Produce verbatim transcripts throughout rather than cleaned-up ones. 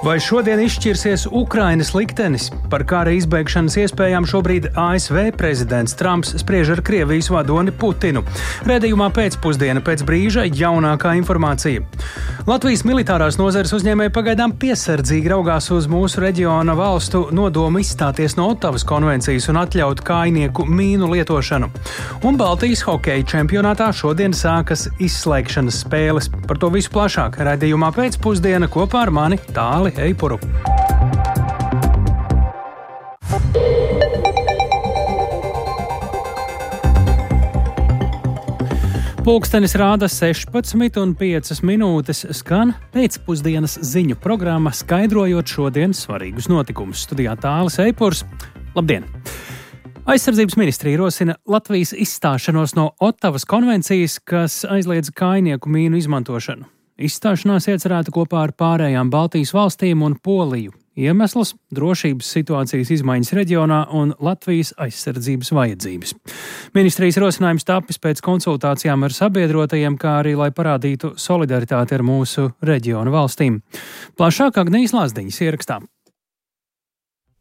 Vai šodien izšķirsies Ukrainas liktenis? Par kara izbeigšanas iespējām šobrīd A S V prezidents Trumps spriež ar Krievijas vadoni Putinu. Redzījumā pēcpusdiena pēc brīža jaunākā informācija. Latvijas militārās nozares uzņēmēji pagaidām piesardzīgi raugās uz mūsu reģiona valstu nodomu izstāties no Ottavas konvencijas un atļaut kājnieku mīnu lietošanu. Un Baltijas hokeja čempionātā šodien sākas izslēgšanas spēles. Par to visu plašāk redzījumā pēcpusdiena kopā ar mani Tāli Eipuru. Pulkstenis rāda sešpadsmit un piecas minūtes, skan pēcpusdienas ziņu programma, skaidrojot šodienas svarīgus notikumus. Studijā Tālis Eipurs. Labdien! Aizsardzības ministrija rosina Latvijas izstāšanos no Ottavas konvencijas, kas aizliedz kājnieku mīnu izmantošanu. Izstāšanās iecerēta kopā ar pārējām Baltijas valstīm un Poliju. Iemesls – drošības situācijas izmaiņas reģionā un Latvijas aizsardzības vajadzības. Ministrijas rosinājums tapis pēc konsultācijām ar sabiedrotajiem, kā arī, lai parādītu solidaritāti ar mūsu reģionu valstīm. Plašāk Agnijas Lazdiņas ierakstā.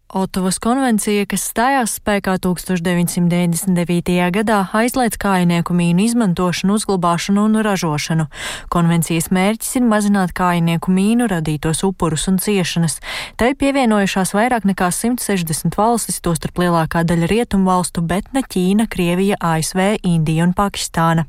Ottavas konvencija, kas stājās spēkā tūkstoš deviņsimt deviņdesmit devītajā gadā, aizliedz kājnieku mīnu izmantošanu, uzglabāšanu un ražošanu. Konvencijas mērķis ir mazināt kājnieku mīnu radītos upurus un ciešanas. Tai pievienojušās vairāk nekā simt sešdesmit valstis, tostarp lielākā daļa rietumu valstu, bet ne Ķīna, Krievija, A S V, Indija un Pakistāna.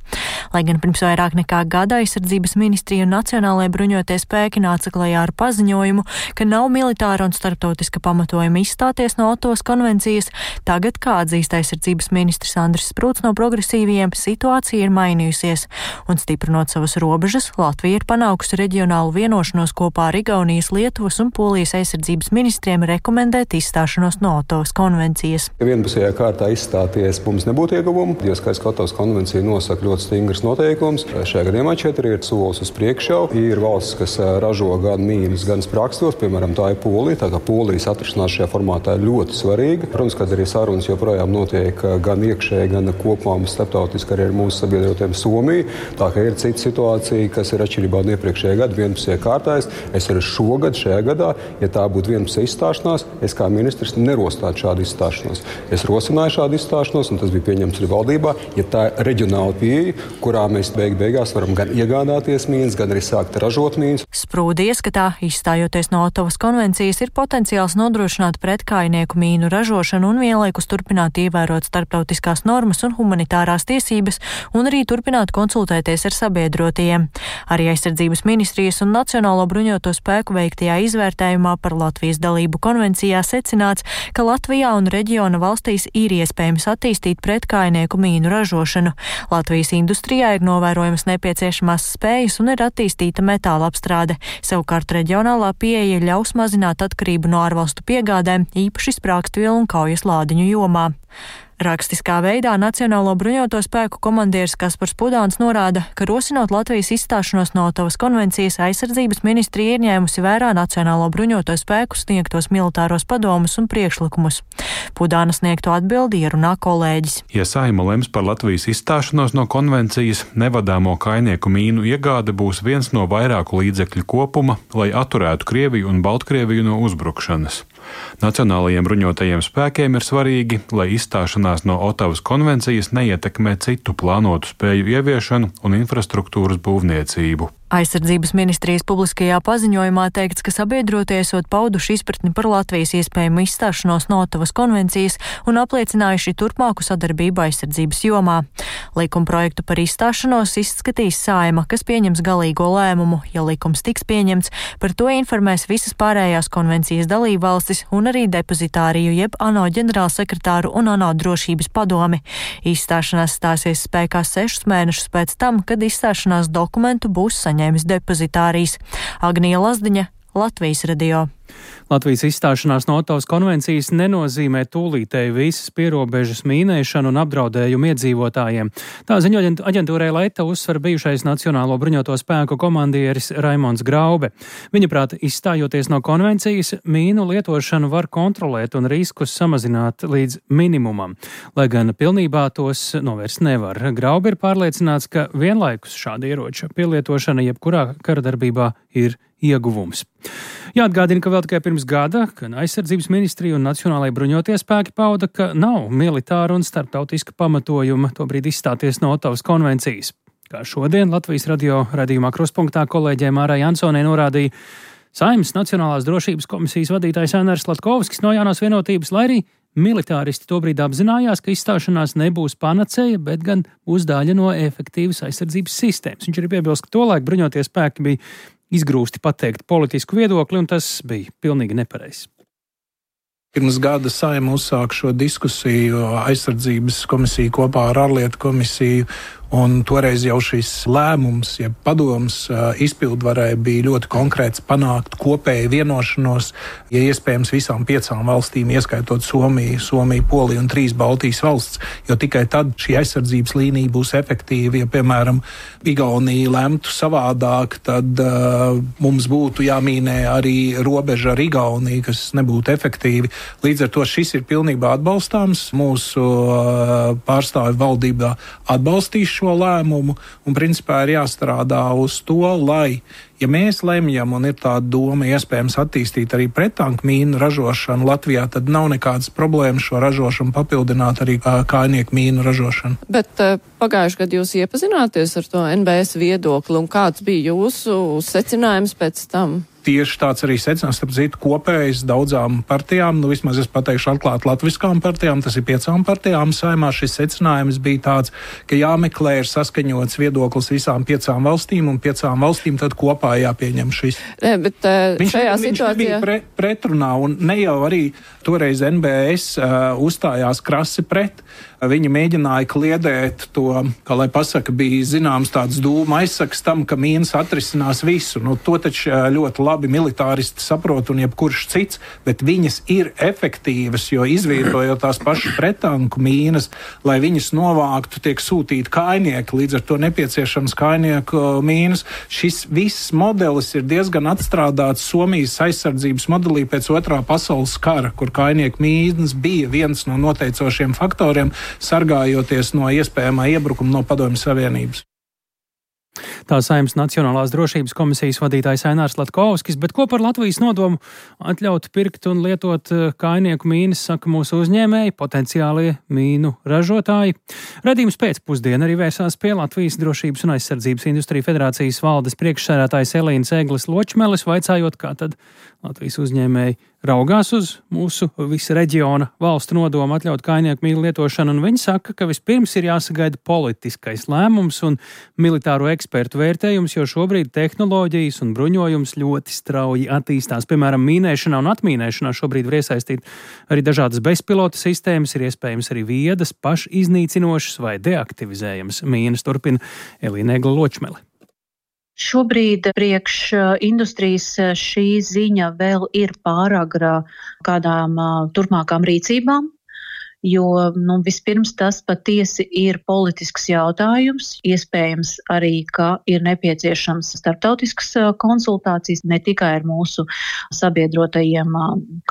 Lai gan pirms vairāk nekā gada aizsardzības ministrija un nacionālajie bruņotie spēki nāca klajā ar paziņojumu, ka nav militāra un starptautiska pamatojuma izstāties no Ottavas konvencijas, tagad, kā atzīst aizsardzības ministrs Andris Sprūts no progresīviem, situācija ir mainījusies, un stiprinot savas robežas, Latvija ir panākusi reģionālu vienošanos kopā ar Igaunijas, Lietuvas un Polijas aizsardzības ministriem rekomendēt izstāšanos no Ottavas konvencijas. Vienpusējā kārtā izstāties mums nebūtu ieguvumu, jo skaidrs, ka Ottavas konvencija nosaka ļoti stingras noteikumus. Šajā gadījumā četri ir solis uz priekšu. Ir valsts, kas ražo gan mīnas, gan sprakstos, piemēram, tā ir Polija, tā kā Polijas atrašanās šajā formātā ir ļoti svarīga. Protams, ka arī sarunas joprojām notiek gan iekšēji, gan kopumā starptautiski arī ar mūsu sabiedrotiem Somiju. Tā kā ir cita situācija, kas ir atšķirībā no iepriekšējā gada vienpusējā kārtā. Es arī šogad, šajā gadā, ja tā būtu vienpusēja izstāšanās, es kā ministrs nerosinātu šādu izstāšanos. Es rosināju šādu izstāšanos, un tas bija pieņemts arī valdībā, ja tā ir reģionāla pieeja, kurā mēs beig beigās varam gan iegādāties mīnas, gan arī sākt ražot mīnas. Sprūdi ieskatā, izstājoties no Ottavas konvencijas, ir potenciāls nodrošināt pretkājnieku mīnu ražošanu un vienlaikus turpināt ievērot starptautiskās normas un humanitārās tiesības un arī turpināt konsultēties ar sabiedrotajiem. Arī aizsardzības ministrijas un Nacionālo bruņoto spēku veiktajā izvērtējumā par Latvijas dalību konvencijā secināts, ka Latvijā un reģiona valstīs ir iespējams attīstīt pretkājnieku mīnu ražošanu. Latvijas industrijā ir novērojamas nepieciešamās spējas un ir attīstīta metāla apstrāde. Savukārt reģionālā pieeja ļaus mazināt atkarību no ārvalstu piegādēm, īpaši sprākstvielu un kaujas lādiņu jomā. Rakstiskā veidā Nacionālo bruņoto spēku komandieris Kaspars Pudāns norāda, ka rosinot Latvijas izstāšanos no Ottavas konvencijas, aizsardzības ministrija ir ņēmusi vērā Nacionālo bruņoto spēku sniegtos militāros padomus un priekšlikumus. Pudāna sniegto atbildi ierunā kolēģis. Ja Saeima lems par Latvijas izstāšanos no konvencijas, nevadāmo kājnieku mīnu iegāde būs viens no vairāku līdzekļu kopuma, lai atturētu Krieviju un Baltkrieviju no uzbrukšanas. Nacionālajiem bruņotajiem spēkiem ir svarīgi, lai izstāšanās no Ottavas konvencijas neietekmē citu plānotu spēju ieviešanu un infrastruktūras būvniecību. Aizsardzības ministrijas publiskajā paziņojumā teikts, ka sabiedrotie esot pauduši izpratni par Latvijas iespējamu izstāšanos no Ottavas konvencijas un apliecinājuši turpmāku sadarbību aizsardzības jomā. Likumprojektu par izstāšanos izskatīs Saeima, kas pieņems galīgo lēmumu. Ja likums tiks pieņemts, par to informēs visas pārējās konvencijas dalībvalstis un arī depozitāriju jeb ANO ģenerālsekretāru un ANO drošības padomi. Izstāšanās stāsies spēkā sešus mēnešus pēc tam, kad izstāšanās dokumentu būs saņēmis depozitārijas. Agnija Lazdiņa, Latvijas radio. Latvijas izstāšanās no Ottavas konvencijas nenozīmē tūlītēju visas pierobežas mīnēšanu un apdraudējumu iedzīvotājiem. Tā ziņo aģentūrai Leta uzsver bijušais Nacionālo bruņoto spēku komandieris Raimonds Graube. Viņaprāt, izstājoties no konvencijas, mīnu lietošanu var kontrolēt un riskus samazināt līdz minimumam, lai gan pilnībā tos novērst nevar. Graube ir pārliecināts, ka vienlaikus šāda ieroča pielietošana jebkurā karadarbībā ir ieguvums. Jāatgādina, ka vēl tikai pirms gada, kad aizsardzības ministrija un Nacionālajie bruņotie spēki pauda, ka nav militāra un starptautiska pamatojuma tobrīd izstāties no Otavas konvencijas. Kā šodien Latvijas radio raidījumā Kruspunktā kolēģē Mārai Jansonē norādīja Saeimas Nacionālās drošības komisijas vadītājs Ainars Slatkovskis no Jaunās vienotības, lai arī militāristi tobrīd apzinājās, ka izstāšanās nebūs panacēja, bet gan būs daļa no efektīvas aizsardzības sistēmas. Viņš arī piebilst, ka tolaik bruņotie spēki bija izgrūsti pateikt politisku viedokli, un tas bija pilnīgi nepareizs. Pirms gada Saeima uzsāka šo diskusiju aizsardzības komisiju kopā ar ārlietu komisiju, un toreiz jau šis lēmums, ja padoms izpildvarē bija ļoti konkrēts panākt kopēju vienošanos, ja iespējams visām piecām valstīm, ieskaitot Somiju, Somiju, Poliju un trīs Baltijas valsts, jo tikai tad šī aizsardzības līnija būs efektīva. Ja, piemēram, Igaunija lemtu savādāk, tad uh, mums būtu jāmīnē arī robeža ar Igauniju, kas nebūtu efektīvi. Līdz ar to šis ir pilnībā atbalstāms. Mūsu uh, pārstāvi valdībā atbalstīs šo lēmumu, un principā ir jāstrādā uz to, lai, ja mēs lemjam un ir tāda doma iespējams attīstīt arī prettanku mīnu ražošanu Latvijā, tad nav nekādas problēmas šo ražošanu papildināt arī kājnieku mīnu ražošanu. Bet pagājuši gadu jūs iepazināties ar to N B S viedokli, un kāds bija jūsu secinājums pēc tam? Tieši tāds arī secinājums, starp citu, kopējs daudzām partijām, nu vismaz es pateikšu atklāt latviskām partijām, tas ir piecām partijām Saeimā. Šis secinājums bija tāds, ka jāmeklē ir saskaņots viedoklis visām piecām valstīm, un piecām valstīm tad kopā jāpieņem šis. Ne, bet uh, viņš, šajā viņš situācijā... bija pre, pretrunā, un ne jau arī toreiz N B S uh, uzstājās krasi pret. Viņi mēģināja kliedēt to, kā lai pasaka, bija zināms tāds dūma aizsaks tam, ka mīnas atrisinās visu. Nu, to taču ļoti labi militāristi saprot un jebkurš cits, bet viņas ir efektīvas, jo izvietojot tās pašas pretanku mīnas, lai viņas novāktu, tiek sūtīti kājnieki, līdz ar to nepieciešams kājnieku mīnas. Šis viss modelis ir diezgan atstrādāts Somijas aizsardzības modelī pēc otrā pasaules kara, kur kājnieku mīnas bija viens no noteicošiem faktoriem, sargājoties no iespējamā iebrukuma no Padomju Savienības. Tā Saeimas Nacionālās drošības komisijas vadītājs Ainars Slatkovskis, bet ko par Latvijas nodomu atļaut pirkt un lietot kājnieku mīnas, saka mūsu uzņēmēji, potenciālie mīnu ražotāji. Radījums pēcpusdiena arī vērsās pie Latvijas Drošības un aizsardzības industriju federācijas valdes priekšsēdētājas Elīnas Egles Ločmeles, vaicājot, kā tad Latvijas uzņēmēji raugās uz mūsu visa reģiona valstu nodomu atļaut kājnieku mīnu lietošanu, un viņi saka, ka vispirms ir jāsagaida politiskais lēmums un militāro ekspertu vērtējums, jo šobrīd tehnoloģijas un bruņojums ļoti strauji attīstās. Piemēram, mīnēšanā un atmīnēšanā šobrīd var iesaistīt arī dažādas bezpilota sistēmas, ir iespējams arī viedas, pašiznīcinošas vai deaktivizējamas mīnas, turpina Elīna Egla Ločmele. Šobrīd priekš industrijas šī ziņa vēl ir pāragra kādām turpmākām rīcībām, jo nu, vispirms tas patiesi ir politisks jautājums. Iespējams arī, ka ir nepieciešams starptautiskas konsultācijas ne tikai ar mūsu sabiedrotajiem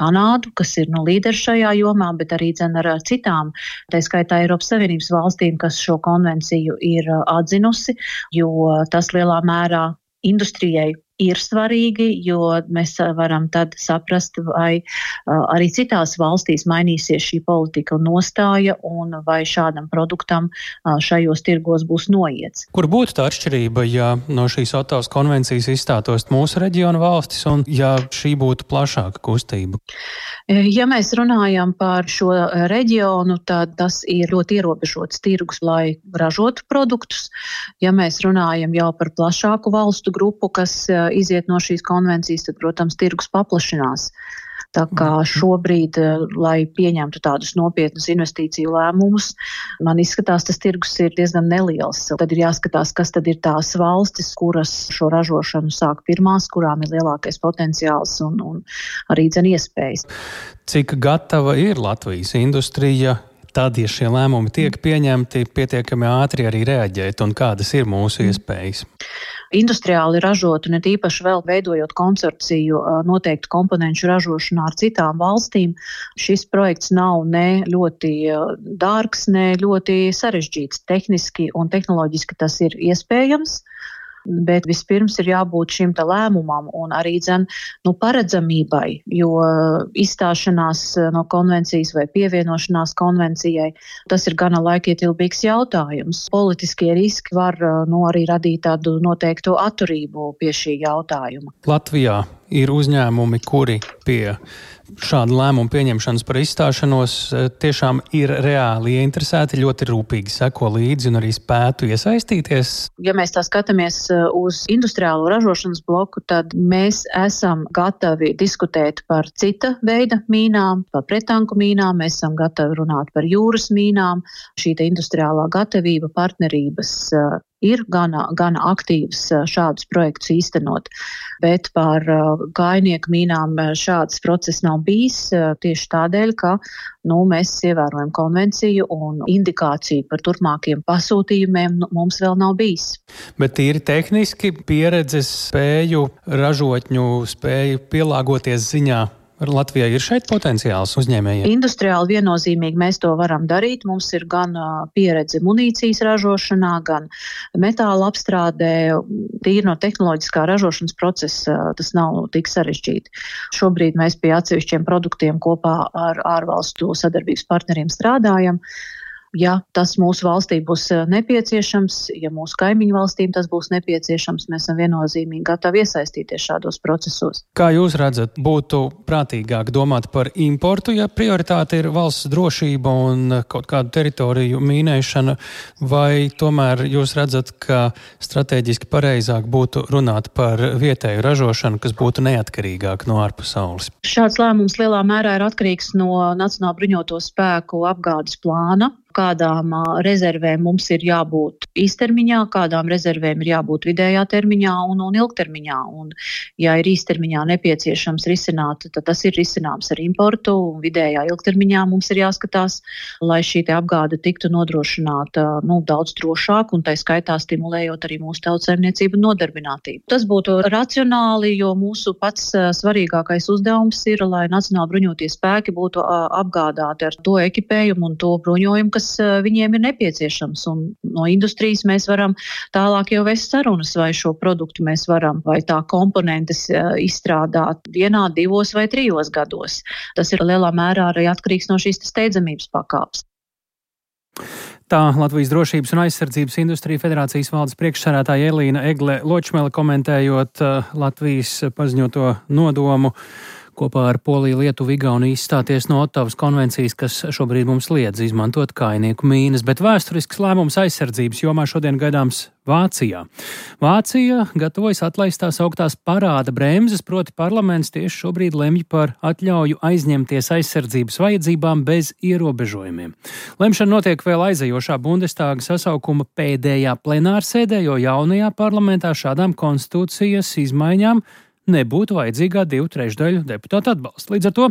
Kanādu, kas ir nu, līderi šajā jomā, bet arī dzen ar citām, tā skaitā Eiropas Savienības valstīm, kas šo konvenciju ir atzinusi, jo tas lielā mērā industrijai ir svarīgi, jo mēs varam tad saprast, vai uh, arī citās valstīs mainīsies šī politika un nostāja, un vai šādam produktam uh, šajos tirgos būs noiets. Kur būtu tā atšķirība, ja no šīs Otavas konvencijas izstātos mūsu reģiona valstis, un ja šī būtu plašāka kustība? Ja mēs runājam par šo reģionu, tad tas ir ļoti ierobežots tirgus, lai ražotu produktus. Ja mēs runājam jau par plašāku valstu grupu, kas iziet no šīs konvencijas, tad, protams, tirgus paplašinās. Tā kā šobrīd, lai pieņemtu tādus nopietnus investīciju lēmumus, man izskatās, tas tirgus ir diezgan neliels. Tad ir jāskatās, kas tad ir tās valstis, kuras šo ražošanu sāk pirmās, kurām ir lielākais potenciāls un, un arī dzen iespējas. Cik gatava ir Latvijas industrija? Tad, ja šie lēmumi tiek pieņemti, pietiekami ātri arī reaģēt, un kādas ir mūsu iespējas? Industriāli ražot un it īpaši vēl veidojot konsorciju noteiktu komponenču ražošanā ar citām valstīm, šis projekts nav ne ļoti dārgs, ne ļoti sarežģīts. Tehniski un tehnoloģiski tas ir iespējams. Bet vispirms ir jābūt šim te lēmumam un arī dzen, nu, paredzamībai, jo izstāšanās no konvencijas vai pievienošanās konvencijai, tas ir gana laikietilpīgs jautājums. Politiskie riski var nu, arī radīt tādu noteiktu atturību pie šī jautājuma. Latvijā ir uzņēmumi, kuri pie šādu lēmumu pieņemšanas par izstāšanos tiešām ir reāli ieinteresēti, ļoti rūpīgi seko līdzi un arī spētu iesaistīties. Ja mēs tā skatāmies uz industriālo ražošanas bloku, tad mēs esam gatavi diskutēt par cita veida mīnām, par pretanku mīnām, mēs esam gatavi runāt par jūras mīnām. Šī te industriālā gatavība, partnerības ir gana, gana aktīvs šādus projektus īstenot, bet par kājnieku mīnām šāds process nav bijis tieši tādēļ, ka nu, mēs ievērojam konvenciju un indikāciju par turpmākiem pasūtījumiem nu, mums vēl nav bijis. Bet tīri tehniski pieredzes spēju, ražotņu spēju pielāgoties ziņā Latvijai ir šeit potenciāls uzņēmējiem? Industriāli viennozīmīgi mēs to varam darīt. Mums ir gan pieredze munīcijas ražošanā, gan metāla apstrādē. Tīri no tehnoloģiskā ražošanas procesa tas nav tik sarežģīti. Šobrīd mēs pie atsevišķiem produktiem kopā ar ārvalstu sadarbības partneriem strādājam. Ja tas mūsu valstī būs nepieciešams, ja mūsu kaimiņu valstīm tas būs nepieciešams, mēs esam viennozīmīgi gatavi iesaistīties šādos procesos. Kā jūs redzat, būtu prātīgāk domāt par importu, ja prioritāte ir valsts drošība un kaut kādu teritoriju mīnēšana, vai tomēr jūs redzat, ka strateģiski pareizāk būtu runāt par vietēju ražošanu, kas būtu neatkarīgāk no ārpasaules? Šāds lēmums lielā mērā ir atkarīgs no Nacionālo bruņoto spēku apgādes plāna. Kādām rezervēm mums ir jābūt īstermiņā, kādām rezervēm ir jābūt vidējā termiņā un, un ilgtermiņā. Un, ja ir īstermiņā nepieciešams risināt, tad tas ir risināms ar importu, un vidējā ilgtermiņā mums ir jāskatās, lai šī te apgāde tiktu nodrošināta nu, daudz drošāk, un tai skaitā stimulējot arī mūsu tautsaimniecību un nodarbinātību. Tas būtu racionāli, jo mūsu pats svarīgākais uzdevums ir, lai Nacionāli bruņotie spēki būtu apgādāti ar to ekipējumu un to bruņojumu, kas viņiem ir nepieciešams. Un no industrijas mēs varam tālāk jau vest sarunas, vai šo produktu mēs varam, vai tā komponentes izstrādāt vienā, divos vai trijos gados. Tas ir lielā mērā arī atkarīgs no šīs steidzamības pakāpes. Tā Latvijas drošības un aizsardzības industrija federācijas valdes priekšsēdētāja Elīna Egle Ločmele komentējot Latvijas paziņoto nodomu kopā ar Poliju, Lietuvu, Igauniju izstāties no Ottavas konvencijas, kas šobrīd mums liedz izmantot kājnieku mīnas, bet vēsturisks lēmums aizsardzības jomā šodien gaidāms Vācijā. Vācija gatavojas atlaist tās augtās parāda bremzes, proti parlaments tieši šobrīd lemj par atļauju aizņemties aizsardzības vajadzībām bez ierobežojumiem. Lemšana notiek vēl aizejošā Bundestāga sasaukuma pēdējā plenārsēdē, jo jaunajā parlamentā šādām konstitūcijas izmaiņām nebūtu vajadzīgā divu trešdaļu deputātu atbalsta. Līdz ar to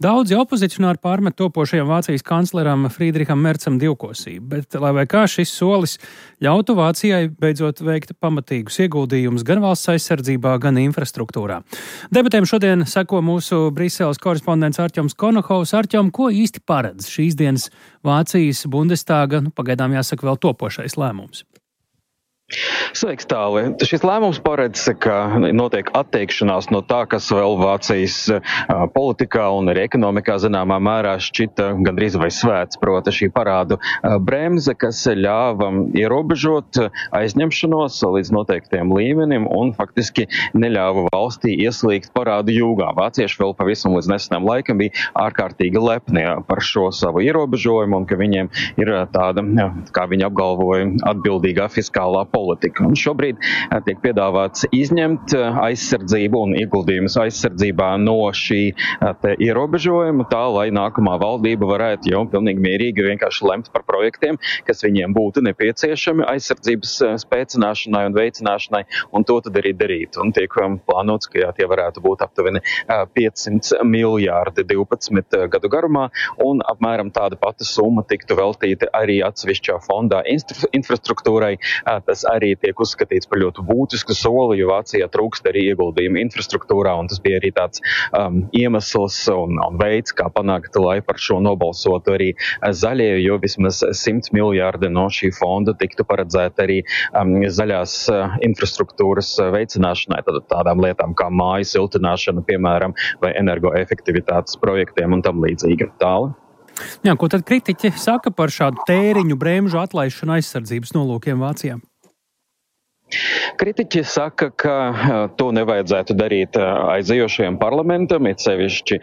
daudzi opozicionāri pārmet topošajam Vācijas kancleram Friedricham Merzam divkosību, bet lai vai kā šis solis ļautu Vācijai beidzot veikt pamatīgus ieguldījumus gan valsts aizsardzībā, gan infrastruktūrā. Debatēm šodien seko mūsu Briseles korespondents Arķoms Konohovs. Arķom, ko īsti paredz šīs dienas Vācijas Bundestāga, nu, pagaidām jāsaka vēl topošais lēmums? Sveiks, Tāli. Šis lēmums paredz, ka notiek atteikšanās no tā, kas vēl Vācijas politikā un arī ekonomikā zināmā mērā šķita gandrīz vai svēts, proti šī parādu bremze, kas ļāva ierobežot aizņemšanos līdz noteiktiem līmenim un faktiski neļāva valstī ieslīgt parādu jūgā. Vācieši vēl pavisam līdz nesenam laikam bija ārkārtīgi lepni par šo savu ierobežojumu un ka viņiem ir tāda, kā viņi apgalvoja, atbildīgā fiskālā politika. politika. Un šobrīd tiek piedāvāts izņemt aizsardzību un ieguldījumus aizsardzībā no šī te ierobežojuma, tā lai nākamā valdība varētu jau pilnīgi mierīgi vienkārši lemt par projektiem, kas viņiem būtu nepieciešami aizsardzības spēcināšanai un veicināšanai, un to tad arī darīt. Un tiek plānots, ka jā, tie varētu būt aptuveni piecsimt miljārdi divpadsmit gadu garumā, un apmēram tāda pati summa tiktu veltīta arī atsevišķā fondā infrastruktūrai. Tas arī tiek uzskatīts par ļoti būtisku soli, jo Vācijā trūkst arī ieguldījumu infrastruktūrā, un tas bija arī tāds um, iemesls un, un veids, kā panākt, lai par šo nobalsotu arī zaļie, jo vismaz simt miljārdi no šī fonda tiktu paredzēt arī um, zaļās uh, infrastruktūras veicināšanai, tad tādām lietām kā māju siltināšana, piemēram, vai energoefektivitātes projektiem un tam līdzīgi. Tāli. Jā, ko tad kritiķi saka par šādu tēriņu bremžu atlaišanu aizsardzības nolūkiem Vācijā? Kritiķi saka, ka to nevajadzētu darīt aizejošajam parlamentam, it sevišķi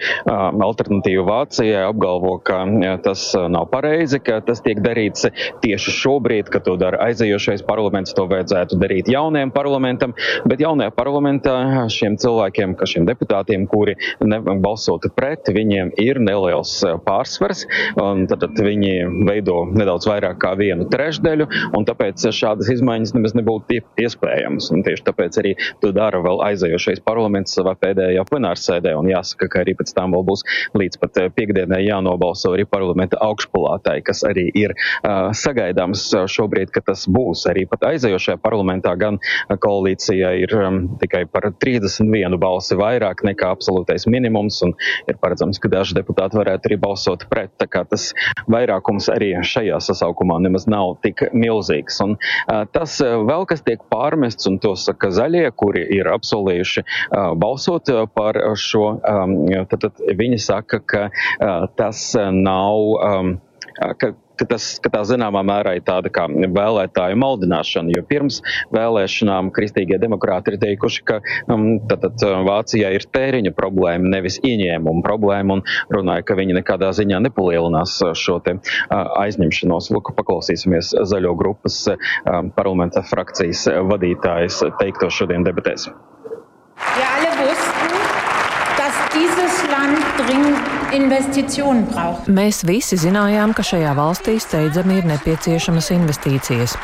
Alternatīva Vācijai apgalvo, ka tas nav pareizi, ka tas tiek darīts tieši šobrīd, ka to dara aizejošais parlaments, to vajadzētu darīt jaunajam parlamentam, bet jaunajā parlamentā šiem cilvēkiem, ka šiem deputātiem, kuri balsotu pret, viņiem ir neliels pārsvars, un tad viņi veido nedaudz vairāk kā vienu trešdaļu, un tāpēc šādas izmaiņas nemaz nebūtu iespējams. Un tieši tāpēc arī to dara vēl aizejošais parlaments savā pēdējā plenārsēdē. Un jāsaka, ka arī pēc tam vēl būs līdz pat piekdienai jānobalso arī parlamenta augšpalātai, kas arī ir uh, sagaidāms šobrīd, ka tas būs. Arī pat aizejošajā parlamentā gan koalīcija ir um, tikai par trīsdesmit vienu balsi vairāk nekā absolūtais minimums, un ir paredzams, ka daži deputāti varētu arī balsot pret. Tā kā tas vairākums arī šajā sasaukumā nemaz nav tik milzīgs. Un uh, tas uh, vēl, kas tiek pārmests, un to saka zaļie, kuri ir apsolījuši uh, balsot par šo, um, tad, tad viņi saka, ka uh, tas nav, um, ka, ka, tas, ka tā zināmā mērā ir tāda kā vēlētāju maldināšana, jo pirms vēlēšanām kristīgie demokrāti ir teikuši, ka um, tad, tad Vācijā ir tēriņa problēma, nevis ieņēmuma problēma, un runāja, ka viņi nekādā ziņā nepalielinās šo te uh, aizņemšanos. Lūk, paklausīsimies zaļo grupas uh, parlamenta frakcijas vadītājas teikto šodien debatēs. Wir alle wussten, dass dieses Land dringend Investitionen braucht. Mēs visi zinājām, ka šajā valstī steidzami ir nepieciešamas investīcijas.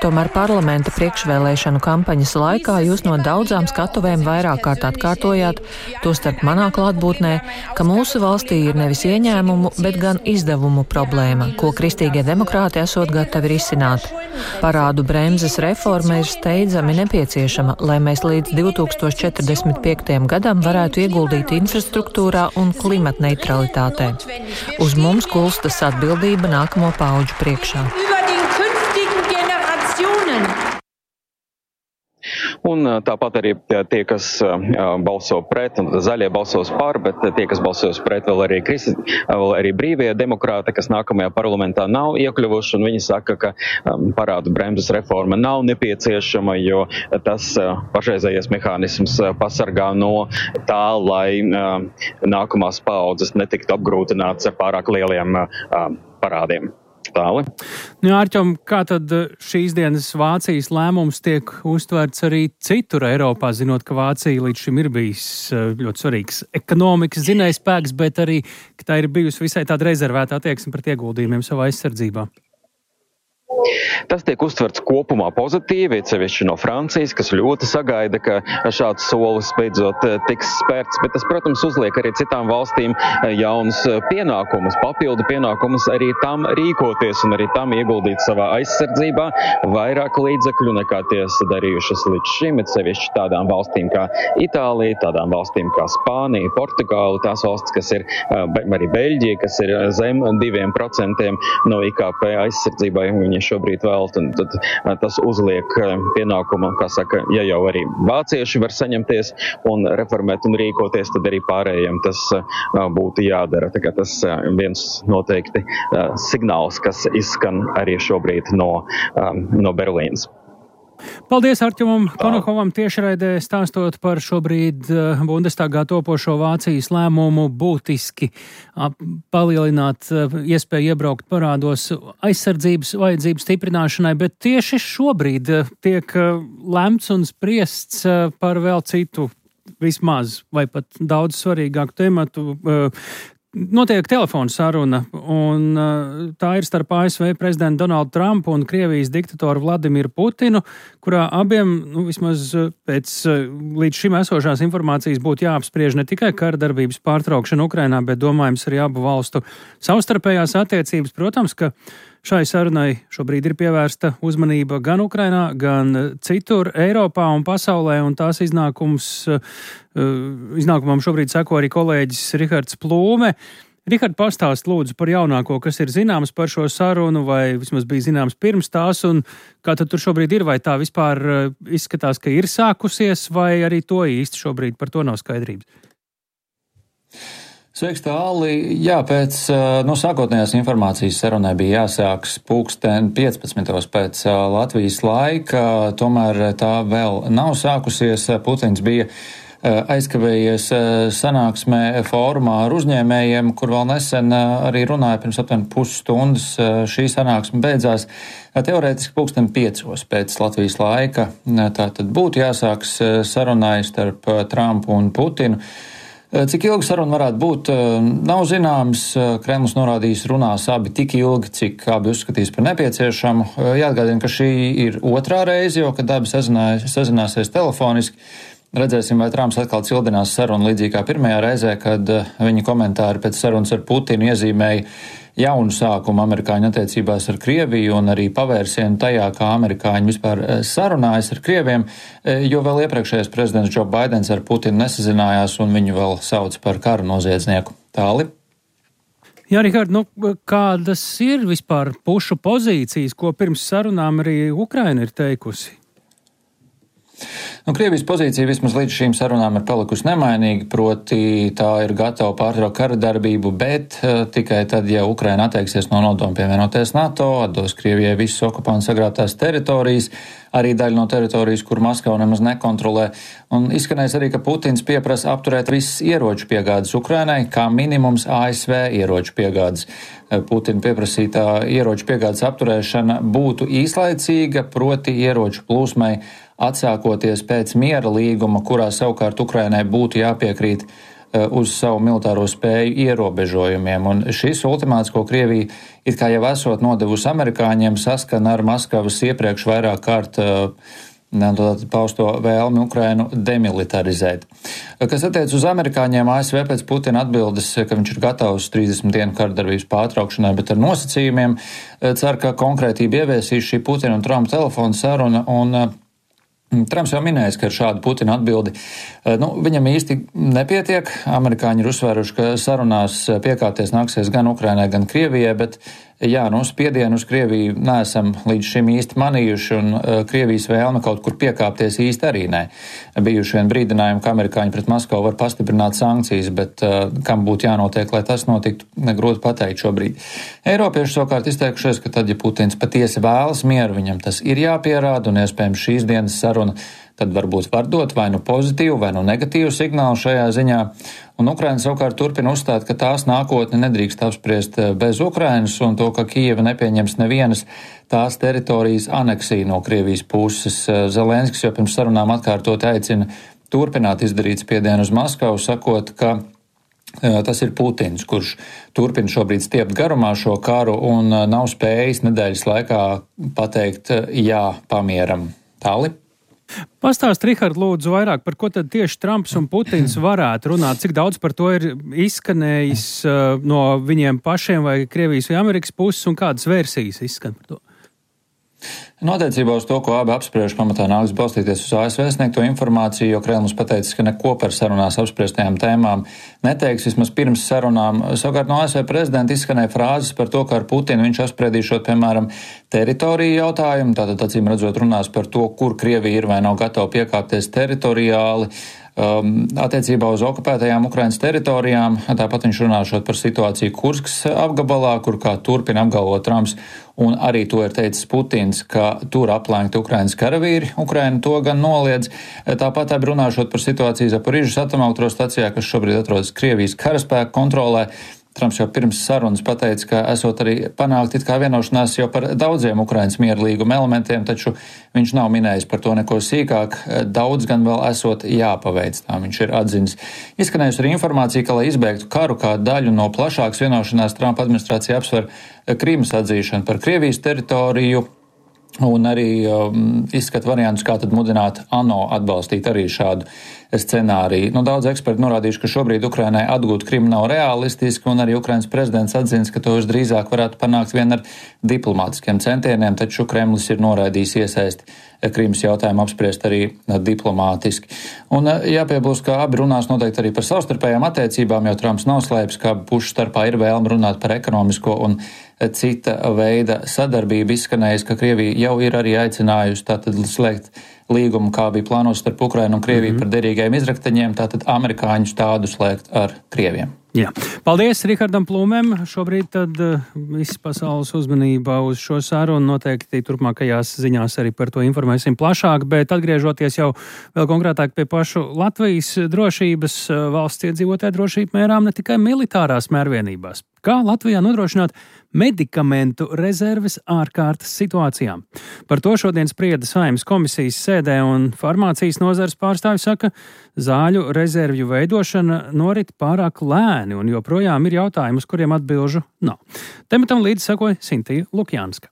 Tomēr parlamenta priekšvēlēšanu kampaņas laikā jūs no daudzām skatuvēm vairāk kārt atkārtojāt, tostarp manā klātbūtnē, ka mūsu valstī ir nevis ieņēmumu, bet gan izdevumu problēma, ko kristīgie demokrāti esot gatavi risināt. Parādu bremzes reforma ir steidzami nepieciešama, lai mēs līdz divi tūkstoši četrdesmit piektajam gadam varētu ieguldīt infrastruktūrā un klimatneitralitātē. Uz mums gulstas atbildība nākamo paudžu priekšā. Un tāpat arī tie, kas balso pret, un zaļie balsos par, bet tie, kas balsos pret, vēl arī, kristi, vēl arī brīvie demokrāti, kas nākamajā parlamentā nav iekļuvuši, un viņi saka, ka parādu bremzes reforma nav nepieciešama, jo tas pašreizējais mehānisms pasargā no tā, lai nākamās paaudzes netiktu apgrūtināts ar pārāk lieliem parādiem. Tāli. Nu, Ārķom, kā tad šīs dienas Vācijas lēmums tiek uztverts arī citur Eiropā, zinot, ka Vācija līdz šim ir bijis ļoti svarīgs ekonomikas zinējspēks, bet arī, ka tā ir bijusi visai tāda rezervēta attieksme pret ieguldījumiem savā aizsardzībā? Tas tiek uztverts kopumā pozitīvi, sevišķi no Francijas, kas ļoti sagaida, ka šāds solis beidzot tiks spērts, bet tas, protams, uzliek arī citām valstīm jaunas pienākumus, papildu pienākumus arī tam rīkoties un arī tam ieguldīt savā aizsardzībā vairāk līdzekļu nekā tie darījušas līdz šim, bet sevišķi tādām valstīm kā Itālija, tādām valstīm kā Spānija, Portugāla, tās valstis, kas ir arī Beļģija, kas ir zem diviem procentiem no I K P aizsardzībai, viņi šobrīd vēlt, un tad tas uzliek pienākumu, kā saka, ja jau arī vācieši var saņemties un reformēt un rīkoties, tad arī pārējiem tas būtu jādara. Tā kā tas viens noteikti signāls, kas izskan arī šobrīd no, no Berlīnas. Paldies Arķumam Konokovam tiešraidē stāstot par šobrīd Bundestagā topošo Vācijas lēmumu būtiski palielināt iespēju iebraukt parādos aizsardzības vajadzību stiprināšanai, bet tieši šobrīd tiek lemts un spriests par vēl citu vismaz vai pat daudz svarīgāku tematu. Notiek telefona saruna, un tā ir starp A S V prezidentu Donaldu Trumpu un Krievijas diktatoru Vladimiru Putinu, kurā abiem, nu, vismaz pēc līdz šim esošās informācijas būtu jāapspriež ne tikai kara darbības pārtraukšana Ukrainā, bet domājams arī abu valstu savstarpējās attiecības. Protams, ka Šai sarunai šobrīd ir pievērsta uzmanība gan Ukrainā, gan citur Eiropā un pasaulē, un tās iznākums, iznākumam šobrīd seko arī kolēģis Rihards Plūme. Rihard, pastāst lūdzu par jaunāko, kas ir zināms par šo sarunu, vai vismaz bija zināms pirms tās, un kā tad tur šobrīd ir, vai tā vispār izskatās, ka ir sākusies, vai arī to īsti šobrīd par to nav skaidrības? Sveiks, Tāli. Jā, pēc no sākotnējās informācijas sarunai bija jāsāks pulksten piecpadsmitos pēc Latvijas laika, tomēr tā vēl nav sākusies. Putins bija aizkavējies sanāksmē fórumā ar uzņēmējiem, kur vēl nesen arī runāja pirms aptuveni pusstundas. Šī sanāksme beidzās teorētiski pulksten piecos pēc Latvijas laika. Tātad būtu jāsāks sarunai starp Trumpu un Putinu. Cik ilgi saruna varētu būt, nav zināms. Kremlis norādījis runās abi tik ilgi, cik abi uzskatīs par nepieciešamu. Jāatgādina, ka šī ir otrā reize, jo, kad abi sazināsies telefoniski. Redzēsim, vai Trumps atkal cildinās sarunu līdzīgi kā pirmajā reizē, kad viņa komentāri pēc sarunas ar Putinu iezīmēja jaunu sākumu amerikāņu attiecībās ar Krieviju un arī pavērsienu tajā, kā amerikāņi vispār sarunājas ar Krieviem, jo vēl iepriekšējais prezidents Joe Baidens ar Putinu nesazinājās un viņu vēl sauc par kara noziedznieku. Tāli? Jā, Rihard, nu, kādas ir vispār pušu pozīcijas, ko pirms sarunām arī Ukraina ir teikusi? Nu, Krievijas pozīcija vismaz līdz šīm sarunām ir palikusi nemainīga, proti tā ir gatava pārtraukt kara darbību, bet uh, tikai tad, ja Ukraina atteiksies no nodoma pievienoties NATO, atdos Krievijai visas okupantu sagrābtās teritorijas, arī daļa no teritorijas, kur Maskava nemaz nekontrolē. Un izskanēs arī, ka Putins pieprasa apturēt visas ieroču piegādes Ukrainai, kā minimums A S V ieroču piegādes. Putina pieprasītā ieroču piegādes apturēšana būtu īslaicīga, proti ieroču plūsmai atsākoties pēc miera līguma, kurā savukārt Ukrainai būtu jāpiekrīt uz savu militāro spēju ierobežojumiem. Un šis ultimāts, ko Krievija it kā jau esot nodevusi amerikāņiem, saskana ar Maskavas iepriekš vairāk kārt pausto vēlmi Ukrainu demilitarizēt. Kas attiec uz amerikāņiem, A S V pēc Putina atbildes, ka viņš ir gatavs trīsdesmit dienu kardarbības pārtraukšanai, bet ar nosacījumiem, cer, ka konkrētība ieviesīs šī Putina un Trumpa telefona saruna, un Trumps jau minējis, ka ar šādu Putina atbildi nu, viņam īsti nepietiek. Amerikāņi ir uzsvēruši, ka sarunās piekāpties nāksies gan Ukrainai, gan Krievijai, bet jā, nu, spiedienu uz Krieviju neesam līdz šim īsti manījuši, un uh, Krievijas vēlme kaut kur piekāpties īsti arī nē. Bijuši vien brīdinājumi, ka amerikāņi pret Maskavu var pastiprināt sankcijas, bet uh, kam būtu jānotiek, lai tas notiktu, negrūti pateikt šobrīd. Eiropieši savukārt izteikušies, ka tad, ja Putins patiesi vēlas mieru, viņam tas ir jāpierāda, un iespējams šīs dienas saruna tad varbūt var dot vai nu pozitīvu, vai nu negatīvu signālu šajā ziņā. Un Ukraina savukārt turpina uzstāt, ka tās nākotne nedrīkst apspriest bez Ukrainas un to, ka Kijeva nepieņems nevienas tās teritorijas aneksiju no Krievijas puses. Zelenskis jau pirms sarunām atkārtot aicina turpināt izdarīt spiedienu uz Maskavu, sakot, ka tas ir Putins, kurš turpina šobrīd stiept garumā šo karu un nav spējis nedēļas laikā pateikt jā pamieram. Tāli? Pastāst, Rihard, lūdzu, vairāk par ko tad tieši Trumps un Putins varētu runāt, cik daudz par to ir izskanējis uh, no viņiem pašiem vai Krievijas vai Amerikas puses un kādas versijas izskan par to? Noteicībā uz to, ko abi apspriež, pamatā nāks balstīties uz A S V sniegto informāciju, jo Kremlis pateicis, ka neko par sarunās apspriestajām tēmām neteiks vismaz pirms sarunām. Savukārt no A S V prezidenta izskanēja frāzes par to, ka ar Putinu viņš apspriedīšot, piemēram, teritoriju jautājumu, tātad acīm redzot runās par to, kur Krievija ir vai nav gatava piekāpties teritoriāli. Um, attiecībā uz okupētajām Ukrainas teritorijām, tāpat viņš runāšot par situāciju Kurskas apgabalā, kur kā turpina apgalvot Trumps, un arī to ir teicis Putins, ka tur aplenkti Ukrainas karavīri, Ukraina to gan noliedz. Tāpat abi runāšot par situāciju Zaporižas atomelektrostacijā, kas šobrīd atrodas Krievijas karaspēku kontrolē. Trumps jau pirms sarunas pateica, ka esot arī panākt it kā vienošanās jau par daudziem Ukrainas miera līguma elementiem, taču viņš nav minējis par to neko sīkāk. Daudz gan vēl esot jāpaveic, tā viņš ir atzinis. Izskanējusi arī informācija, ka, lai izbeigtu karu kā daļu no plašākas vienošanās, Trumpa administrācija apsver Krīmas atzīšanu par Krievijas teritoriju. Un arī um, izskat variantus, kā tad mudināt ANO atbalstīt arī šādu scenāriju. Nu, daudz eksperti norādījuši, ka šobrīd Ukrainai atgūt Krimu nav realistiski, un arī Ukrainas prezidents atzins, ka to visdrīzāk varētu panākt vien ar diplomātiskiem centieniem, taču Kremlis ir noraidījis iesaisti Krimas jautājumu apspriest arī diplomātiski. Un jāpiebilst, ka abi runās noteikti arī par savstarpējām attiecībām, jo Trumps nav slēpis, ka pušu starpā ir vēlme runāt par ekonomisko un cita veida sadarbību. Izskanējis, ka Krievija jau ir arī aicinājusi tātad slēgt līgumu, kā bija plānots starp Ukrainu un Krieviju mm-hmm. par derīgajiem izrakteņiem, tātad amerikāņus tādu slēgt ar Krieviem. Jā. Paldies Rihardam Plūmēm. Šobrīd tad uh, viss pasaules uzmanība uz šo sarunu, noteikti turpmākajās ziņās arī par to informēsim plašāk, bet atgriežoties jau vēl konkrētāk pie pašu Latvijas drošības, uh, valsts iedzīvotāju drošību mērām ne tikai militārās mērvienībās. Kā Latvijā nodrošināt medikamentu rezerves ārkārtas situācijām? Par to šodien sprieda Saeimas komisijas sēdē, un farmācijas nozares pārstāvi saka, zāļu rezervju veidošana norit pārāk lēni, un joprojām ir jautājumi, uz kuriem atbilžu nav. Tematam līdzi sakoja Sintija Lukjānska.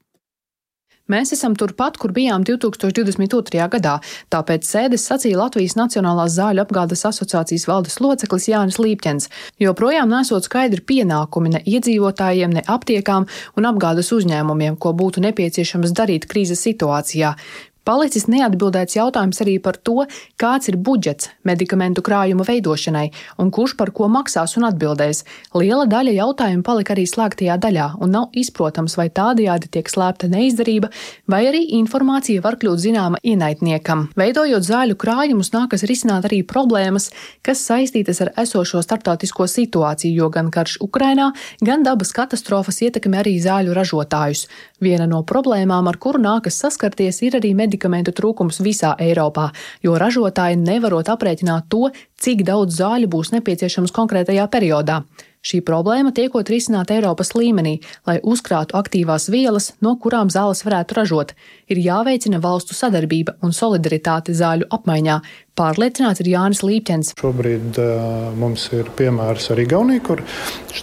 Mēs esam turpat, kur bijām divi tūkstoši divdesmit otrajā gadā, tāpēc sēdes sacīja Latvijas Nacionālās zāļu apgādes asociācijas valdes loceklis Jānis Līpķens, joprojām nesot skaidri pienākumi ne iedzīvotājiem, ne aptiekām un apgādes uzņēmumiem, ko būtu nepieciešams darīt krīzes situācijā. Palicis neatbildēts jautājums arī par to, kāds ir budžets medikamentu krājuma veidošanai un kurš par ko maksās un atbildēs. Liela daļa jautājumu palika arī slēgtajā daļā un nav izprotams, vai tādējādi tiek slēpta neizdarība, vai arī informācija var kļūt zināma ienaidniekam. Veidojot zāļu krājumus, nākas risināt arī problēmas, kas saistītas ar esošo starptautisko situāciju, jo gan karš Ukrainā, gan dabas katastrofas ietekmē arī zāļu ražotājus. Viena no problēmām, ar kuru nākas saskarties, ir arī medikamentu trūkums visā Eiropā, jo ražotāji nevarot aprēķināt to, cik daudz zāļu būs nepieciešams konkrētajā periodā. Šī problēma tiekot risināta Eiropas līmenī, lai uzkrātu aktīvās vielas, no kurām zāles varētu ražot. Ir jāveicina valstu sadarbība un solidaritāte zāļu apmaiņā. Pārliecināts ir Jānis Līpķens. Šobrīd uh, mums ir piemērs ar Igauniju, kur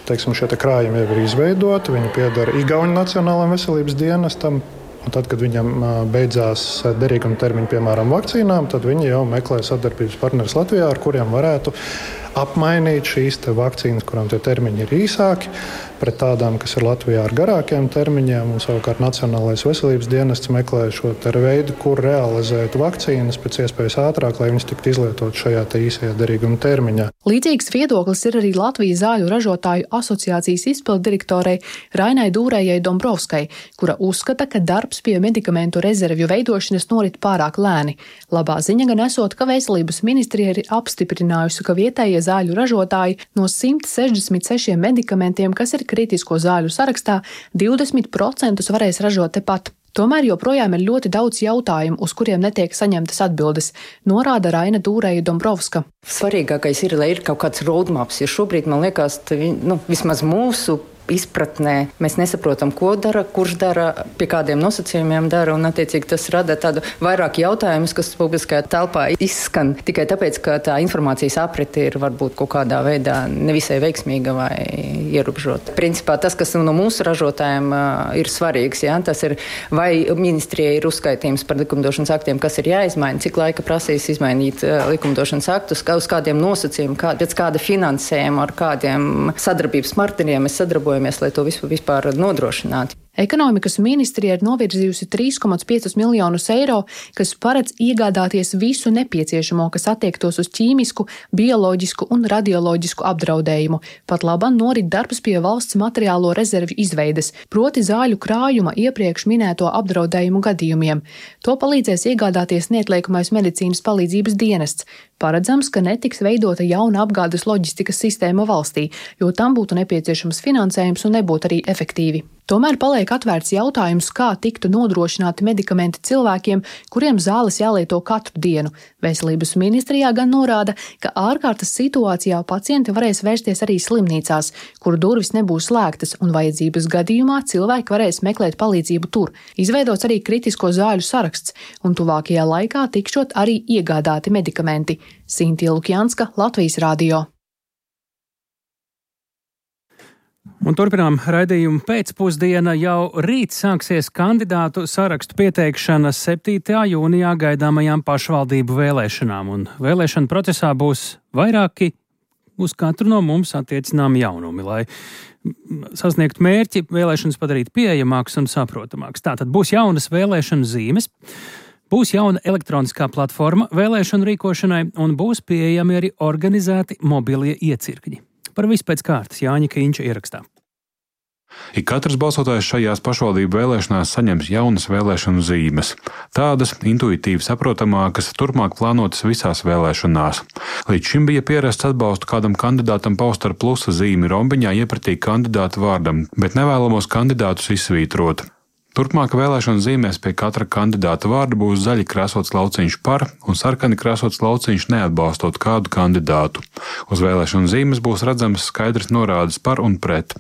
teiksim, šie te krājumi jau ir izveidoti. Viņi piedara Igauņu Nacionālajiem veselības dienestam. Un tad, kad viņam beidzās derīguma termiņi, piemēram, vakcīnām, tad viņi jau meklē sadarbības partnerus Latvijā, ar kuriem varētu apmainīt šīs te vakcīnas, kurām tie termiņi ir īsāki, pret tādām, kas ir Latvijā ar garākiem termiņiem. Un savukārt Nacionālais veselības dienests meklē šo veidu, kur realizēt vakcīnas pēc iespējas ātrāk, lai viņas tiktu izlietotas šajā te īsajā derīguma termiņā. Līdzīgs viedoklis ir arī Latvijas zāļu ražotāju asociācijas izpilddirektorei Rainai Dūrējai Dombrovskai, kura uzskata, ka darbs pie medikamentu rezervju veidošanas norit pārāk lēni. Labā ziņa gan esot, ka veselības ministrija ir apstiprinājusi, ka vietējie zāļu ražotāji no simt sešdesmit sešiem medikamentiem, kas ir kritisko zāļu sarakstā, divdesmit procentus varēs ražot tepat. Tomēr joprojām ir ļoti daudz jautājumu, uz kuriem netiek saņemtas atbildes, norāda Raina Dūrēja Dombrovska. Svarīgākais ir, lai ir kaut kāds roadmaps, jo šobrīd, man liekas, nu, vismaz mūsu izpratnē mēs nesaprotam, ko dara, kurš dara, pie kādiem nosacījumiem dara, un attiecīgi tas rada tādu vairāk jautājumus, kas publiskajā telpā izskan tikai tāpēc, ka tā informācijas aprite ir varbūt kaut kādā veidā nevisai veiksmīga vai ierobežota. Principā tas, kas no mūsu ražotājiem ir svarīgs, ja, tas ir, vai ministrijai ir uzskaitījums par likumdošanas aktiem, kas ir jāizmaina, cik laika prasīs izmainīt likumdošanas aktus, uz kādiem nosacījumiem, kā, pēc kāda finansējuma, ar kādiem sadarbības partneriem mēs sadarbojamies, lai to visu vispār nodrošinātu. Ekonomikas ministrija ir novirzījusi trīs komats piecus miljonus eiro, kas paredz iegādāties visu nepieciešamo, kas attiektos uz ķīmisku, bioloģisku un radioloģisku apdraudējumu. Pat labam norit darbs pie valsts materiālo rezervju izveides, proti zāļu krājuma iepriekš minēto apdraudējumu gadījumiem. To palīdzēs iegādāties neatliekamais medicīnas palīdzības dienests. Paredzams, ka netiks veidota jauna apgādes loģistikas sistēma valstī, jo tam būtu nepieciešams finansējums un nebūtu arī efektīvi. Tomēr paliek atvērts jautājums, kā tiktu nodrošināti medikamenti cilvēkiem, kuriem zāles jālieto katru dienu. Veselības ministrijā gan norāda, ka ārkārtas situācijā pacienti varēs vērsties arī slimnīcās, kur durvis nebūs slēgtas un vajadzības gadījumā cilvēki varēs meklēt palīdzību tur. Izveidots arī kritisko zāļu saraksts, un tuvākajā laikā tikšot arī iegādāti medikamenti. Sintija Lukjānska, Latvijas radio. Un turpinām raidījumu pēcpusdiena. Jau rīt sāksies kandidātu sarakstu pieteikšana septītajā jūnijā gaidāmajām pašvaldību vēlēšanām. Un vēlēšana procesā būs vairāki uz katru no mums attiecinām jaunumi, lai sasniegtu mērķi, vēlēšanas padarīt pieejamākas un saprotamākas. Tātad būs jaunas vēlēšanu zīmes, būs jauna elektroniskā platforma vēlēšanu rīkošanai un būs pieejami arī organizēti mobilie iecirkņi. Par visu pēc kārtas Jāņa Kīņša ierakstā. Ik katrs balsotājs šajās pašvaldību vēlēšanās saņems jaunas vēlēšanu zīmes. Tādas intuitīvi saprotamākas, turpmāk plānotas visās vēlēšanās. Līdz šim bija pierasts atbalstu kādam kandidātam paust ar plusa zīmi rombiņā iepratī kandidāta vārdam, bet nevēlamos kandidātus izsvītrot. Turpmāk vēlēšanu zīmēs pie katra kandidāta vārda būs zaļi krāsots lauciņš par un sarkani krāsots lauciņš neatbalstot kādu kandidātu. Uz vēlēšanu zīmes būs redzams skaidrs norādes par un pret.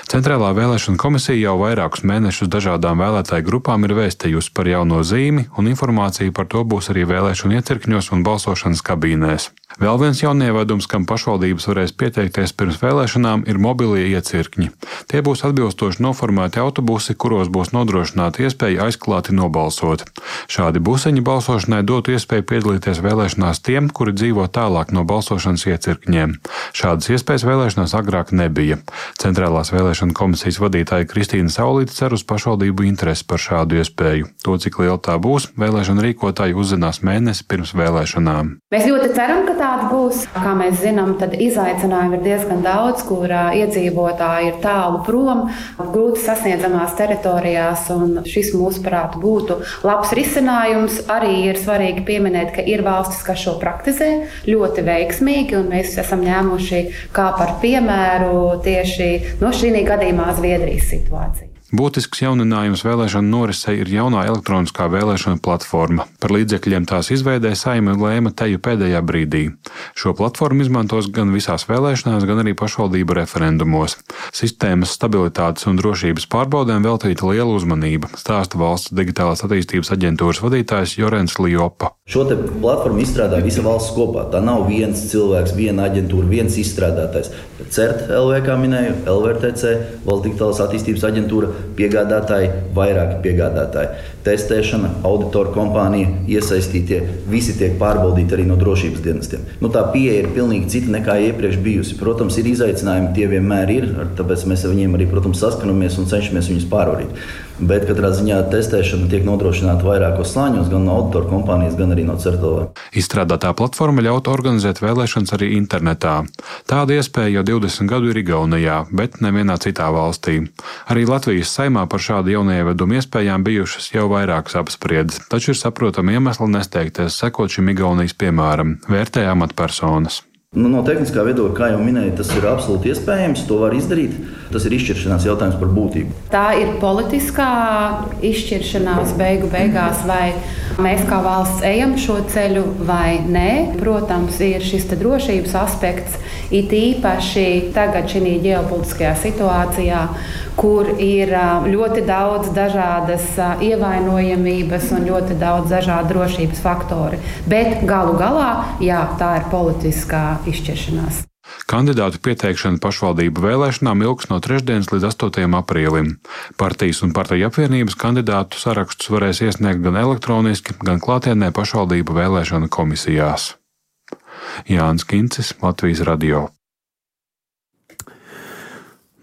Centrālā vēlēšana komisija jau vairākus mēnešus dažādām vēlētāju grupām ir vēstījusi par jauno zīmi, un informācija par to būs arī vēlēšanu iecirkņos un balsošanas kabīnēs. Vēl viens jaunievedums, kam pašvaldības varēs pieteikties pirms vēlēšanām, ir mobilie iecirkņi. Tie būs atbilstoši noformēti autobusi, kuros būs nodrošināta iespēja aizklāti nobalsot. Šādi buseņi balsošanai dotu iespēju piedalīties vēlēšanās tiem, kuri dzīvo tālāk no balsošanas iecirkņiem. Šādas iespējas vēlēšanās agrāk nebija. Centrālās vēlēšana komisijas vadītāja Kristīna Saulīte cer uz pašvaldību interesi par šādu iespēju. To, cik liela tā būs, vēlēšana rīkotāji uzzinās mēnesi pirms vēlēšanām. Mēs ļoti ceram, ka tāda būs. Kā mēs zinām, tad izaicinājumi ir diezgan daudz, kur iedzīvotāji ir tālu prom, grūti sasniedzamās teritorijās, un šis mūsuprāt būtu labs risinājums. Arī ir svarīgi pieminēt, ka ir valstis, kas šo praktizē ļoti veiksmīgi, un mēs esam ņēmuši kā par piemēru tieši no šī gadījumā Zviedrijas situāciju. Būtisks jauninājums vēlēšanu norisei ir jaunā elektroniskā vēlēšana platforma. Par līdzekļiem tās izveidē Saeima lēma teju pēdējā brīdī. Šo platformu izmantos gan visās vēlēšanās, gan arī pašvaldību referendumos. Sistēmas stabilitātes un drošības pārbaudēm veltīta liela uzmanība, stāsta valsts digitālās attīstības aģentūras vadītājs Jorens Liopa. Šo te platformu izstrādā visa valsts kopā. Tā nav viens cilvēks, viena aģentūra, viens izstrādātājs. CERT L V, kā minēju, L V R T C, valsts digitālās attīstības aģentūra, piegādātāji, vairāki piegādātāji. Testēšana, auditoru kompānija, iesaistītie, visi tiek pārbaudīti arī no drošības dienestiem. Nu, tā pieeja ir pilnīgi cita nekā iepriekš bijusi. Protams, ir izaicinājumi, tie vienmēr ir, tāpēc mēs ar viņiem arī, protams, saskanamies un cenšamies viņus pārvarīt. Bet katrā ziņā testēšana tiek nodrošināta vairākos slāņos, gan no auditoru kompānijas, gan arī no CERT L V. Izstrādātā platforma ļaut organizēt vēlēšanas arī internetā. Tāda iespēja jau divdesmit gadu ir Igaunijā, bet nevienā citā valstī. Arī Latvijas Saeimā par šādu jaunievedumu iespējām bijušas jau vairākas apspriedes, taču ir saprotami iemesli nesteigties sekot šim Igaunijas piemēram, vērtē amatpersonas. Nu, no tehniskā viedokļa, kā jau minēju, tas ir absolūti iespējams, to var izdarīt. Tas ir izšķiršanās jautājums par būtību. Tā ir politiskā izšķiršanās beigu beigās, vai mēs kā valsts ejam šo ceļu vai nē. Protams, ir šis te drošības aspekts, it īpaši tagad šī ģeopolitiskajā situācijā, kur ir ļoti daudz dažādas ievainojamības un ļoti daudz dažādu drošības faktori. Bet galu galā, jā, tā ir politiskā izšķiršanās. Kandidātu pieteikšana pašvaldību vēlēšanām ilgs no trešdienas līdz astotajam aprīlim. Partijas un partiju apvienības kandidātu sarakstus varēs iesniegt gan elektroniski, gan klātienē pašvaldību vēlēšanu komisijās. Jānis Kincis, Latvijas radio.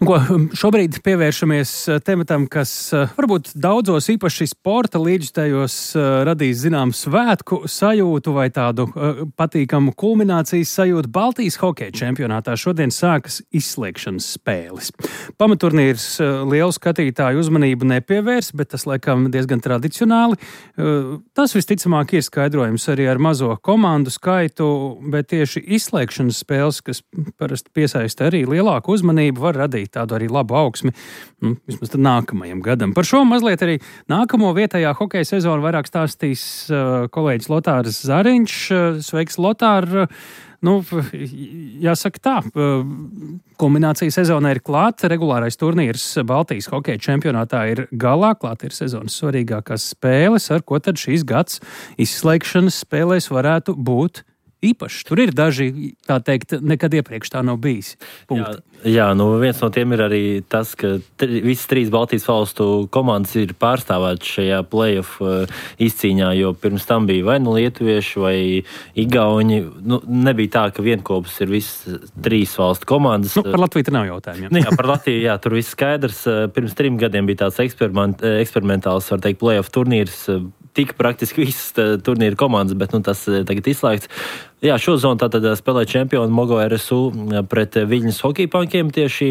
Ko, šobrīd pievēršamies tematam, kas varbūt daudzos īpaši sporta līdzjutējos radīs zināmu svētku sajūtu vai tādu patīkamu kulminācijas sajūtu. Baltijas hokeja čempionātā šodien sākas izslēgšanas spēles. Pamaturnīrs lielu skatītāju uzmanību nepievērs, bet tas laikam diezgan tradicionāli. Tas visticamāk ir skaidrojums arī ar mazo komandu skaitu, bet tieši izslēgšanas spēles, kas parasti piesaista arī lielāku uzmanību, var radīt tādu arī labu augsmi, nu, vismaz tad nākamajam gadam. Par šo mazliet arī nākamo vietējā hokeja sezonu vairāk stāstīs uh, kolēģis Lotārs Zariņš. Sveiks, Lotār! Nu, jāsaka tā, kulminācija sezonā ir klāta, regulārais turnīrs Baltijas hokeja čempionātā ir galā, klāt ir sezonas svarīgākās spēles, ar ko tad šīs gads izslēgšanas spēlēs varētu būt īpašs. Tur ir daži, tā teikt, nekad iepriekš tā nav bijis. Punkti. Jā, jā, nu viens no tiem ir arī tas, ka tri, visas trīs Baltijas valstu komandas ir pārstāvētas šajā play-off izcīņā, jo pirms tam bija vai nu lietuvieši vai igauņi. Nu, nebija tā, ka vienkopus ir visas trīs valstu komandas. Nu, par Latviju te nav jautājumu. Jā. Nu, jā, par Latviju, jā, tur viss skaidrs. Pirms trim gadiem bija tāds eksperiment, eksperimentāls, var teikt, play-off turnīrs. Tika praktiski visas turnīra komandas, bet nu, tas tagad izslēgts. Jā, šo zonu tātad spēlē čempioni Mogo R S U pret Viļņas hokejpankiem tieši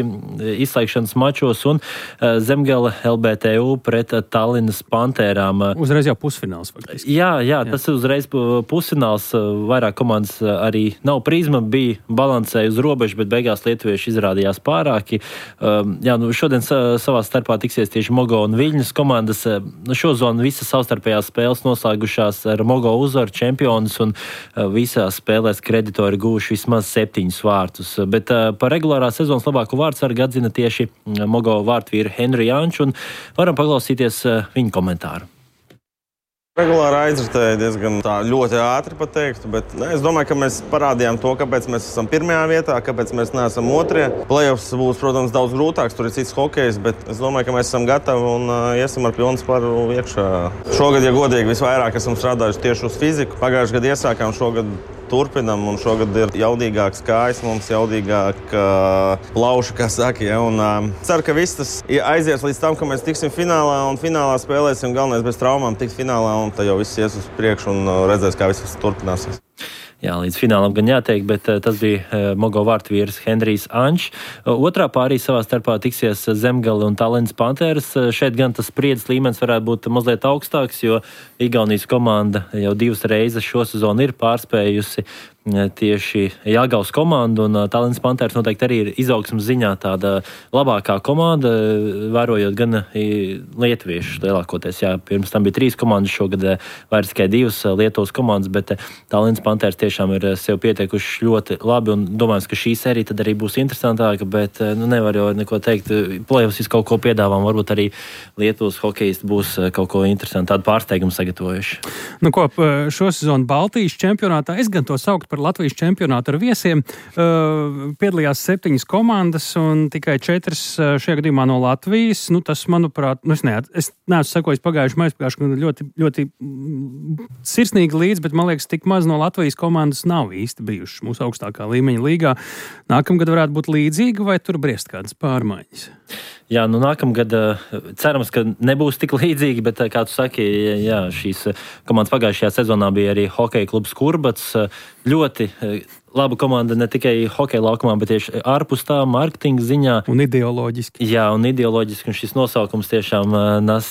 izslēgšanas mačos un Zemgale L B T U pret Tallinas Pantērām. Uzreiz jau pusfināls faktiski. Jā, jā, tas ir uzreiz pusfināls. Vairāk komandas arī nav prizma, bija balansēja uz robežu, bet beigās lietuvieši izrādījās pārāki. Jā, nu šodien savā starpā tiksies tieši Mogo un Viļņas komandas. Nu, šo zonu visas savstarpējās spēles noslēgušās ar Mogo uzvaru čempionus un visās spēlēs kreditori gūši vismaz septiņus vārtus, bet uh, par regulārā sezonas labāko vārdsargu atzina tieši Mogo vārtvīru Henri Janču, un varam paklausīties uh, viņa komentāru. Regulāri aizritēja diezgan tā ļoti ātri pateiktu, bet ne, es domāju, ka mēs parādījām to, kāpēc mēs esam pirmajā vietā, kāpēc mēs neesam otrie. Playoffs būs, protams, daudz grūtāks, tur ir cits hokejs, bet es domāju, ka mēs esam gatavi un uh, iesim ar pilnu sparu iekšā. Šogad, ja godīgi, visvairāk esam strādājuši tieši uz fiziku. Pagājušajā gadā iesākām, šogad turpinam, un šogad ir jaudīgāks kājas, mums jaudīgāk uh, plauši, kā saka. Ja, un, uh, ceru, ka viss tas aizies līdz tam, ka mēs tiksim finālā, un finālā spēlēsim galvenais bez traumām, tikt finālā, un tad jau viss ies uz priekšu un uh, redzēs, kā viss turpināsies. Jā, līdz finālam gan jāteikt, bet uh, tas bija uh, Mogo vārtvīrs Henrijs Ančs. Uh, otrā pārī savā starpā tiksies Zemgale un Tallinas Pantēras. Uh, šeit gan tas spriedzes līmenis varētu būt mazliet augstāks, jo Igaunijas komanda jau divas reizes šo sezonu ir pārspējusi tieši Jāgavas komandu, un Tallinas Pantēras noteikti arī ir izaugsmas ziņā tāda labākā komanda, vērojot gan lietuviešus lielākoties. Jā, pirms tam bija trīs komandas, šogad vairs tikai divas Lietuvas komandas, bet Tallinas Pantēras tiešām ir sev pietiekuši ļoti labi, un domājams, ka šī sērija tad arī būs interesantāka, bet nu, nevar jau neko teikt. Play-offs kaut ko piedāvām, varbūt arī Lietuvas hokejisti būs kaut ko interesantu, tādu pārsteigumu sagatavojuši. Nu ko, šo sezonu Baltijas čempionātā, es gan to saukt par Latvijas čempionātu ar viesiem, uh, piedalījās septiņas komandas un tikai četras šajā gadījumā no Latvijas. Nu, tas, manuprāt, nu, es, neat, es neesmu sekojis pagājuši maizpagājuši ļoti, ļoti sirsnīgi līdz, bet man liekas, tik maz no Latvijas komandas nav īsti bijušas mūsu augstākā līmeņa līgā. Nākamgad varētu būt līdzīga, vai tur briest kādas pārmaiņas? Jā, nu nākamgad cerams, ka nebūs tik līdzīgi, bet, kā tu saki, jā, šīs komandas pagājušajā sezonā bija arī hokeja klubs Kurbats. Ļoti laba komanda ne tikai hokeja laukumā, bet tieši ārpus tā marketinga ziņā. Un ideoloģiski. Jā, un ideoloģiski, un šis nosaukums tiešām nes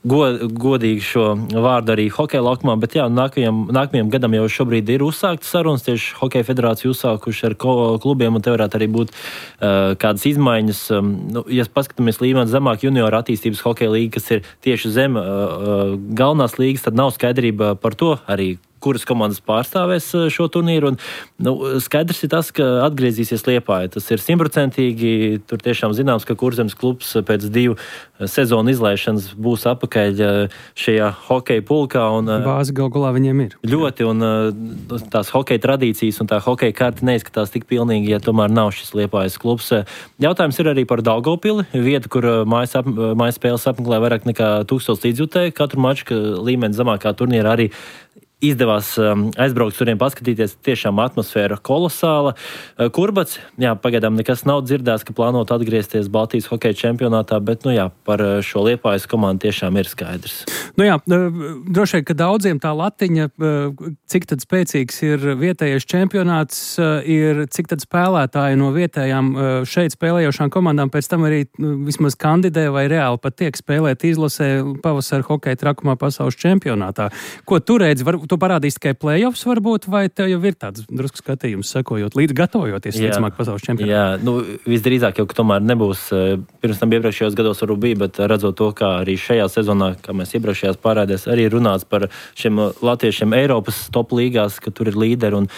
god, godīgi šo vārdu arī hokeja laukumā, bet jā, nākamajam, nākamajam gadam jau šobrīd ir uzsāktas sarunas, tieši hokeja federācija uzsākuši ar klubiem, un te varētu arī būt uh, kādas izmaiņas. Um, nu, ja paskatāmies līmeni zemāk juniora attīstības hokeja līga, kas ir tieši zem uh, galvenās līgas, tad nav skaidrība par to arī, kuras komandas pārstāvēs šo turnīru. Un, nu, skaidrs ir tas, ka atgriezīsies Liepāja. Tas ir simtprocentīgi. Tur tiešām zināms, ka Kurzemes klubs pēc divu sezonu izlaišanas būs apakaļ šajā hokeja pulkā. Un, bāzi gal galā viņiem ir. Ļoti, un tās hokeja tradīcijas un tā hokeja karta neizskatās tik pilnīgi, ja tomēr nav šis Liepājas klubs. Jautājums ir arī par Daugavpili, vieta, kur mājas, ap, mājas spēles apmeklē vairāk nekā tūkstots līdzjutēju. Katru maču, ka līmeni zemākā turnīra arī izdevās um, aizbraukt turien paskatīties, tiešām atmosfēra kolosāla. Uh, Kurbats, jā, pagaidām nekas nav dzirdēts, ka plānot atgriezties Baltijas hokeja čempionātā, bet, nu jā, par šo Liepājas komandu tiešām ir skaidrs. Nu jā, droši vien, ka daudziem tā latiņa, cik tad spēcīgs ir vietējais čempionāts, ir cik tad spēlētāji no vietējām šeit spēlējošām komandām pēc tam arī vismaz kandidē vai reāli pat tiek spēlēt izlasē pavasara hokeja trakumā pasaules čempionātā. Ko tu redzi? Var, tu parādīsi tikai play-offs varbūt, vai tev jau ir tāds drusku skatījums sekojot, līdz gatavojoties ticamāk pasaules čempionātā? Jā, nu visdrīzāk jau, ka tomēr nebūs, pirms tam iepriekšējos gados varbūt bija, bet redzot to, kā arī šajā sezonā, kā mēs iepriekšējās pārādēs, arī runāts par šiem latviešiem Eiropas top līgās, ka tur ir līderi un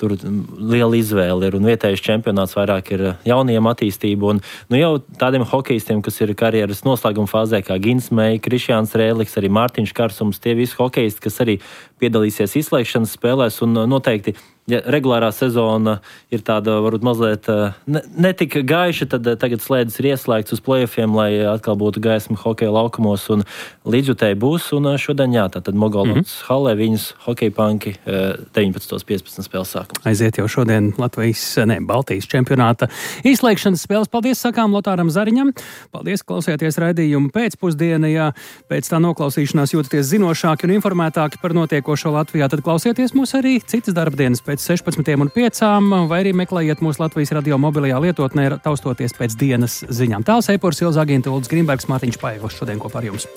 tur liela izvēle ir, un vietējais čempionāts vairāk ir jauniem attīstību, un nu jau tādiem hokejistiem, kas ir karjeras noslēguma fāzē, kā Gins Mei, Krišjāns Rēliks, arī Mārtiņš Karsums, tie visi hokejisti, kas arī piedalīsies izslēgšanas spēlēs, un noteikti ja regulārā sezona ir tāda, varbūt mazliet ne, netik gaiša, tad tagad slēdzas ir ieslēgts uz play-offiem, lai atkal būtu gaisma hokeja laukumos un līdzjutēji būs. Un šodien, jā, tātad Mogolnots mm-hmm. halē viņas hokeja panki deviņpadsmit piecpadsmit spēles sākums. Aiziet jau šodien Latvijas, ne, Baltijas čempionāta izslēgšanas spēles. Paldies sakām Lotāram Zariņam. Paldies, klausieties raidījumu pēcpusdienā. Ja pēc tā noklausīšanās jūtaties zinošāki un informētāki par notiekošo Latvijā, tad klausieties mūs arī citas darbdienas pēc sešpadsmitajām un piecām, vai arī meklējiet mūsu Latvijas radio mobilajā lietotnē, taustoties pēc dienas ziņām. Tāls Eipors, Ilza Agīnta, Uldis Grimbergs, Mārtiņš Paeglis šodien kopā ar jums.